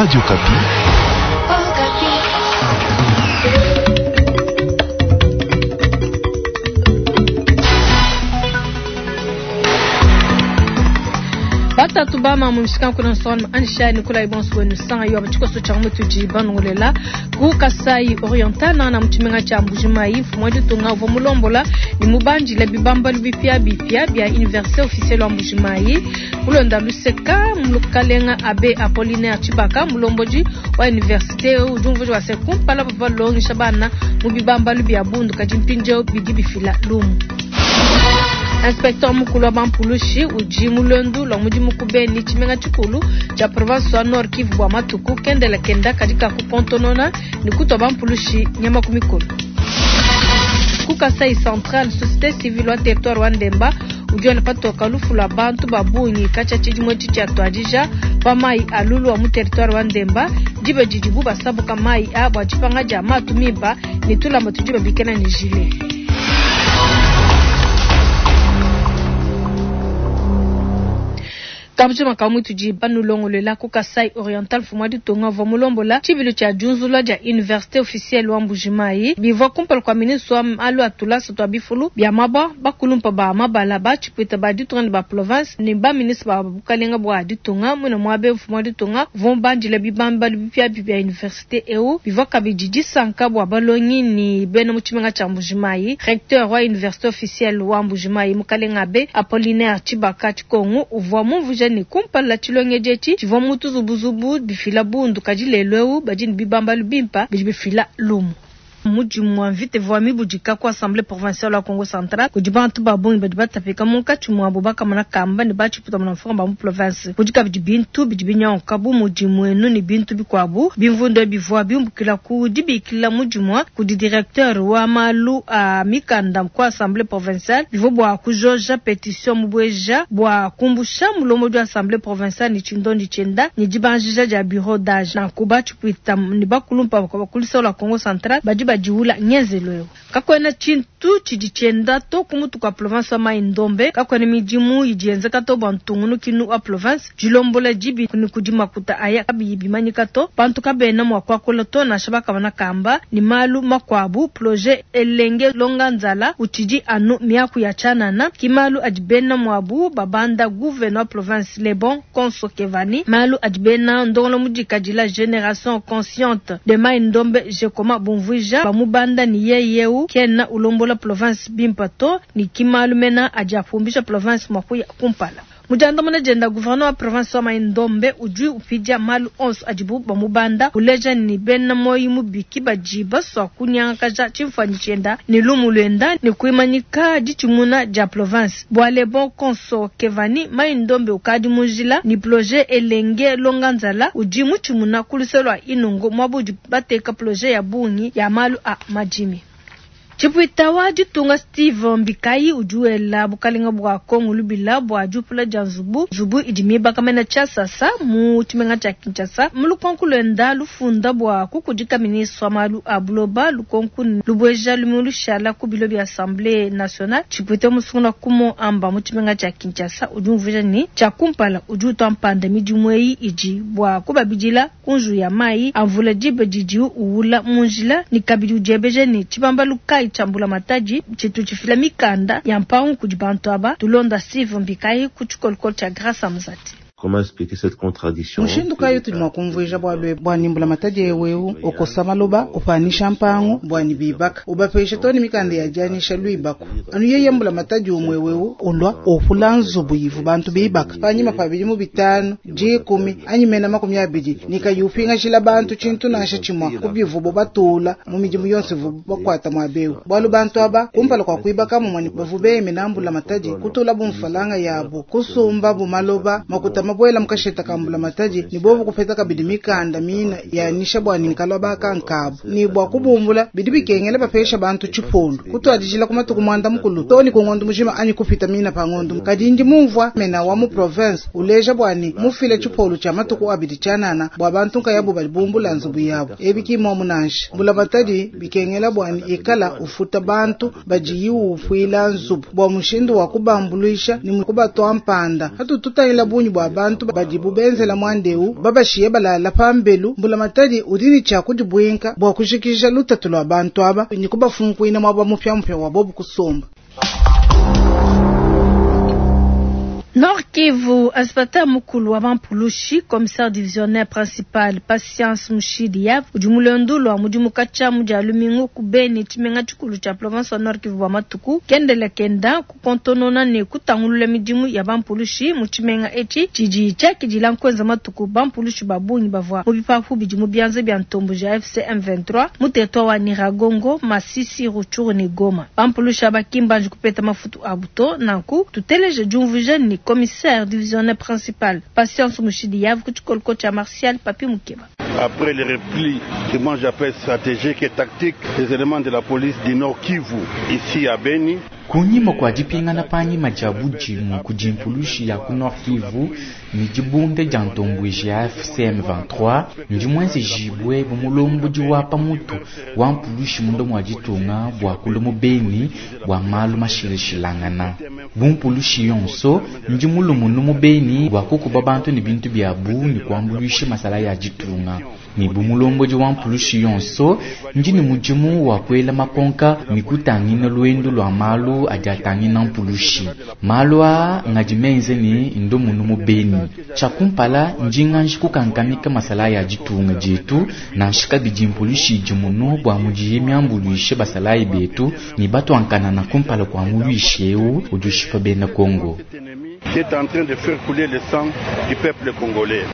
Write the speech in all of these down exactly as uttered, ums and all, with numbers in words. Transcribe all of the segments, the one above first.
Radio Okapi. Batatu bama mu mishikanku na nsonga anisha Nikolai bonso wenu sanga yo abachikoso cha mutuji banongolela ku Kasai Oriental na na muchimenga cha Mbujimayi mfumo wa ditunga uvua mulombola ni mubanjile bibambalu bipia bipia bia Université officielle wa Mbujimayi kulonda luseka mulukalenga abe Apollinaire Tshibaka mulomboji wa université ujumvuji wa sekumpala bava longisha bana mu bibambalu bia bundu kadi mpindieu bidi bifila lumu. Inspecteur mukulu wa bampulushi udi mulondu lwa mudimu ku Beni tshimenga tshikulu tshia province wa Nord Kivu bua matuku kendela kenda kadi kakukontonona ni kutua bampulushi nyama ku mikolo. Ku Kasai Central, société civile wa territoire wa Ndemba udi wela patoka lufu lwa bantu ba bungi katshia tshidimu etshi tshia tuadija pa mayi a lulu wa mu territoire wa Ndemba diba didibu basabuka mayi a bua dipanga dia matu mimpa ne tulamba tudi babikila ne gilet. Kabujima ka mutudi banulongolela ku Kasai Oriental mfumu wa ditunga uvua mulombola tshibilu tshia diunzula dia université officielle wa Mbujimayi bivua kumpala kua ministre wa malu a tulasa tua bifulu bia mabua bakulumpa ba mabala ba tshipuita ba ditunga ne ba province ne ba ministre ba bukalenga bua ditunga mwina muabe mfumu wa ditunga uvua mubandile bibambalu bipiabipia bia université eu bivua kabidi disanka bua balongi ne bena mu tshimenga tshia Mbujimayi. Recteur wa université officielle wa Mbujimayi mukalenga abe Apollinaire Tshibaka Tshikongu uvua mumvuija ne kumpala tshilongedi etshi tshivua mu tuzubuzubu bifila bundu kadi lelu eu badi ne bibambalu bimpa bidi bifila lumu. Mudimu wa mvita ivua mibudika ku assemblée provinciale wa Kongo Central kudi bantu ba bungi badi batapika munkatshi muabu bakamona kamba ne batshiputa muna mfumu ba mu province. Kudi kabidi bintu bidi binyanguka bu mudi muenu ne bintu bikuabu bimvundu bivua biumbukila ku dibikila mudimu kudi directeur wa malu a mikanda ku assemblée provinciale bivua bua kujoja petition mubweja bua kumbusha mulombodi wa assemblée provinciale ne tshindondi tshienda ne dibanjija dia bureau d'âge nanku batshipuita ne bakulumpa bakulisa la Kongo Central badi badiula ngenzelo eu. Kakuena tshintu tshidi tshienda to ku mutu kua province wa Mai Ndombe, kakuena midimu idi yenzeka to bua ntungunukinu wa province dilombola dibi ni kudi makuta aya kabiyi bimanyika to bantu kabena mua kuakula to nansha bakamana kamba ni malu makuabu projet elenge longa nzala utshidi anu miaku ya tshianana ki malu adi bena muabu babanda gouverneur wa province Lebon Konso Kevani malu adi bena ndongolo mudikadila génération consciente de Mai Ndombe jekoma bumvuija bamubanda ni yeyeu kena ulombola province bimpa to ni kimalu mena adi apumbisha province mwakuya kumpala. Mujandamuna jenda gouverneur wa province wa Mai Ndombe udi upidia malu onso adibu bamubanda uleja ni bena moyi mubiki badi basua kunyangakaja tshimfuanyi tshienda ni lumu luenda ni kuimanyika ditshimuna dia province bua Lebon Konso Kevani Mai Ndombe ukadi munjila ni projet elenge longa nzala udi mutshimuna ku luse lua inongo muabu bateka projet ya bungi ya malu a madimi. Tshipuita wa ditunga Steve Mbikayi udi wela bukalenga bua Kongo lubila bua diupula dia nzubu nzubu idi mibakamena tshiasasa mu tshimenga tshia Kinshasa mu lukonku luenda lufunda bua kukudika ministre wa malu a buloba lukonku lubueja lumu lushala ku bilo bia Assemblée nationale. Tshipuita musungula kumo amba mu tshimenga tshia Kinshasa udi umvuija ne tshia kumpala udi utua mpanda midimu eyi idi bua kubabidila ku nzu ya mayi a mvula diba didi uwula mu njila ni kabidi udiebeja ne tshibambalu kayi tshia mbulamatadi tshitu tshifila mikanda ya mpangu kudi bantu aba tulonda Steve Mbikayi ku tshikolokolo tshia Grâce Amzati. Comment expliquer cette contradiction? Mushindu kayi tudi mua kumvuija bualu bua ni mbulamatadi ewu okosa maloba upanisha mpangu bua ni bibaka ubapesha toni mikanda ya dianyisha luibaku anu yeye mbulamatadi umwe wewu ulwa opula nzubu ivu bantu bibaka panyima pa bidimu bitanu dikumi anyi mena makumi abidi nikayi upingashila bantu tshintu nansha tshimua kubivubo batula mu midimu yonso ivubo bakuata muabewu bualu bantu aba kumpala kua kuibaka mumue bavu beyemena mbulamatadi kutula bumfalanga yabo kusumba bumaloba makuta mabwela mukasheta kambula matadi ni bobu kupeta kabidi mikanda mina yanisha bwa ninkalwa bakankabu ni bwa kubumbula bidi bikengela bapesha bantu tshipolu kutwadijila kumatuku mwanda mukulu toni kungondo mujima anyi kupita mina pangondo kadi ndi mumvua mena wa mu province uleja bwani mufile tshipolu tshia matuku abidi tshianana bua bantu nkayabu bali bumbula nzubu yabo ebi kimwa munanshi mbula matadi bikengela bwani ikala ufuta bantu badi yiufuila nzubu bua mushindu wa kubambuluisha ni kubatwa mpanda hatututayila bunyi bwa bantu badibu benzela muandeu babashiye balala pambelu mbulamatadi udi ne tshia kudibwinka bua kujikija lutatu lua bantu aba ne kubafunkuina muaba mupiamupia wa bobu kusomba. Nord Kivu, inspecteur mukulu wa Bampulushi, commissaire divisionnaire principal Patience Mushidi Yav, udi mulondu lwa mudimu katshia mu dia lumingu ku Beni tshimenga tshikulu tshia province wa Nord Kivu bua matuku kendela kenda kukontonona ne kutangulula midimu ya Bampulushi mu tshimenga etshi tshidi tshiakidila nkuenza matuku Bampulushi ba bungi bavua mu bipapu bidi mu bianza bia ntombo ja F C M vingt-trois mu territoire wa Nyiragongo, Masisi, Rutshuru ne Goma. Bampulushi aba ki mbanji kupeta mafutu abu to, nanku tuteleje diumvuija ne commissaire divisionnaire principal Patience Mushidi Yav kuchikoloko cha Martial Papi Mukeba. Après le repli que moi j'appelle stratégique et tactique des éléments de la police du Nord Kivu ici à Beni. Kunyima kwa dipingana panyima dia budimu ku dimpulushi ya ku Nord Kivu ne dibunde dia ntomboji ya F C M vingt-trois ndi muenze jibwe bu mulombodi wa pamutu wa mpulushi munda mua ditunga bua kula mu Beni bua malu mashilashilangana. Bu mpulushi yonso ndi mulumunu mu Beni bua kukuba bantu ne bintu biabu ne kuambuluisha masala ya ditunga. Ne bu mulombodi wa mpulushi yonso ndi ne mudimu wa kuela makonka ne kutangina luendu lua malu adi atangina mpulushi. Malu aa ngadi menze ne ndomunu mu Beni. Tshiakumpala ndi nganji kukankamika masala ya ditunga dietu nansha kabidi mpulushi idi muno bua mudiye miambuluishe basalayi betu ne batuankanana kumpala kua muluishi eu udi ushipa bena Congo. Qui est en train de faire couler le sang du peuple congolais.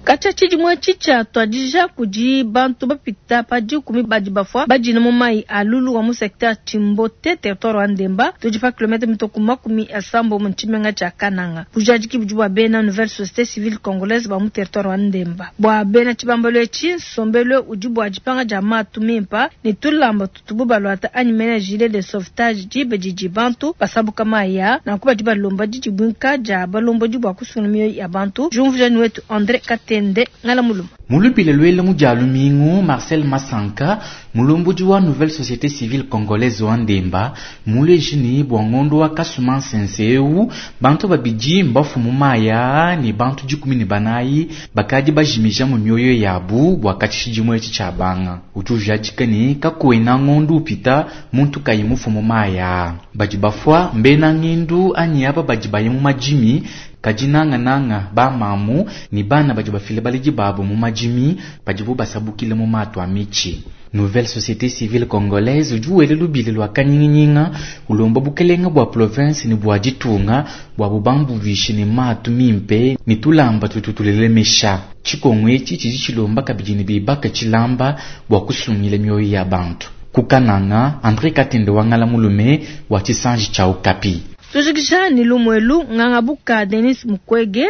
Katshia tshidimue tshitshia tuadija kudi bantu bapita pa dikumi badi bafua badina mu mayi a lulu wa mu secteur Tshimbote territoire wa Ndemba tudi pa kilomètre mitoko makumi asambo mu tshimenga tshia Kananga. Bujadiki budi bua bena nouvelle société civile congolaise ba mu territoire wa Ndemba bua bena tshibambalo etshi nsombelo udi bua dipanga dia matu mimpa ne tulamba tutubu balwata anyi mena gilet de sauvetage dibe didi bantu basabuka mayi nanku badi balomba didi bwinka dia balombodi bua kusungula mioyo ya bantu. Jumvujani wetu André Kate Nde ngala muluma. Mulupile lwele mu dia lumingu Marcel Masanka mulombodi wa nouvelle société civile congolaise wa Ndemba mulejini bua ngondo wa kasuma nsense eu bantu babidi mbafu mu maya ne bantu dikumi ne banayi bakadi bajimija mu mioyo yabu bua katshishi dimue etshi tshia banga. Udi ujadika ne kakuena ngondo upita muntu kayi mufu mu maya. Badi bafua mbena ngindu anyi aba badi baye mu madimi kadi nanga nanga ba mamu ni bana badi bafile baledi babo mu madimi badibu basabukile mu mato a mitshi. Nouvelle société civile congolaise udi wele lubili lwa kanyinginyinga ulomba bukelenga bua province ne bua ditunga bua bubambuluishe ne matu mimpe ne tulamba tututulelemesha. Tshikongo etshi tshidi tshilomba kabidi ne bibaka tshilamba bua kusungila mioyo ya bantu. Kukananga André Katende wangala mulume wa tshisanji tshia Okapi. Tujikisha ni lumwelu ngangabuka Denis Mukwege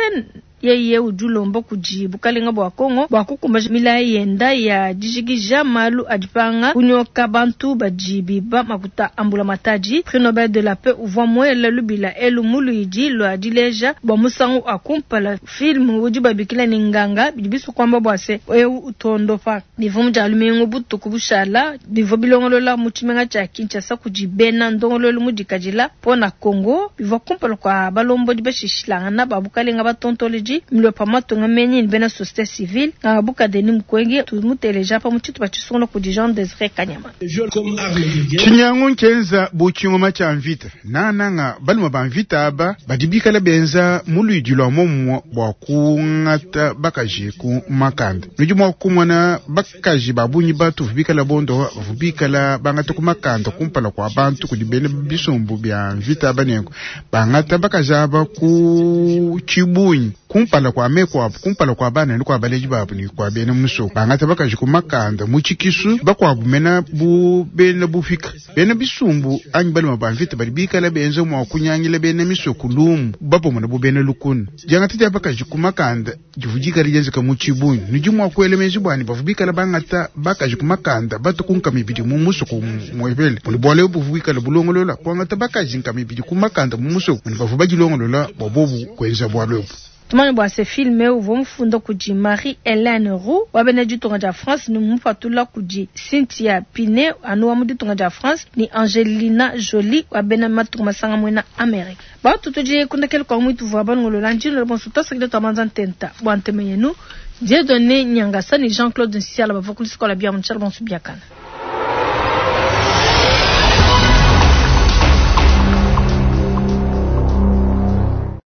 yeye udi ulomba kudi bukalenga bua Kongo bua kukumbaja milayi yenda ya dijikija malu adipanga kunyoka bantu badi biba makuta ambula matadi. Prix Nobel de la paix uvua muele lubila elu muluidi lua dileja bua musangu akumpala film udi babikila ne nganga bidi bisu kwamba bua se eu utondopa bivua mu dia lumingu butuku bushala bivua bilongolola mu tshimenga tshia Kinshasa kudi bena ndongololo mu dikadila pona Kongo bivua kumpala kwa balombodi bashishilangana ba bukalenga batontoledi mlopa matunga menyi ni bena société civile ngabuka Denis Mukwege tumuteleja pa muchitu bachisungula kudi Jean Désiré Kanyama. Chinyangu nkenza buchingoma cha mvita nananga baluma ba mvita aba badibikala benza muluidi lwa momwe bwa kungata bakaji ku makanda nudi mwa kumona bakaji babunyi batu vubikala bondo vubikala bangata ku makanda kumpala kwa bantu kudi bene bisumbu bya mvita aba nenko bangata bakaji aba ku chibunyi kumpala kwa meko apo kumpala kwa bana ni kwa baleji babu ni kwa bene muso bangata bakaji ku makanda mu chikisu bakwabu mena bu bene bufika bene bisumbu anyi baluma ba mvita bali bikala benze mwa kunyangila bene miso kulumu bapomona bu bene lukunu jangata dia bakaji ku makanda divudika lijenzeka mu chibunyi nudi mwa kuelemenzi bwani bavubikala bangata bakaji ku makanda batukunka mibidi mu muso ku mwebele muli bwale buvubikala bulongolola kwangata bakaji nka mibidi ku makanda mu muso muli bavu badilongolola bwa bobu kwenza bwalwebu. Tumanye bua se filme uvua mufunda kudi Marie-Helene Roux wa bena ditunga dia France ne mupatula kudi Cynthia Pinet anu wa mu ditunga dia France ne Angelina Jolie wa bena matunga masanga muena Amerique. Batu tudi kundekele kwa mwitu vua banungolola njino bonso tasakile twamanza ntenta bua nteme yenu Dieudonné Nyangasa ne Jean-Claude Nsiala bavua kulisikola bia mu tshiala bonso biakana.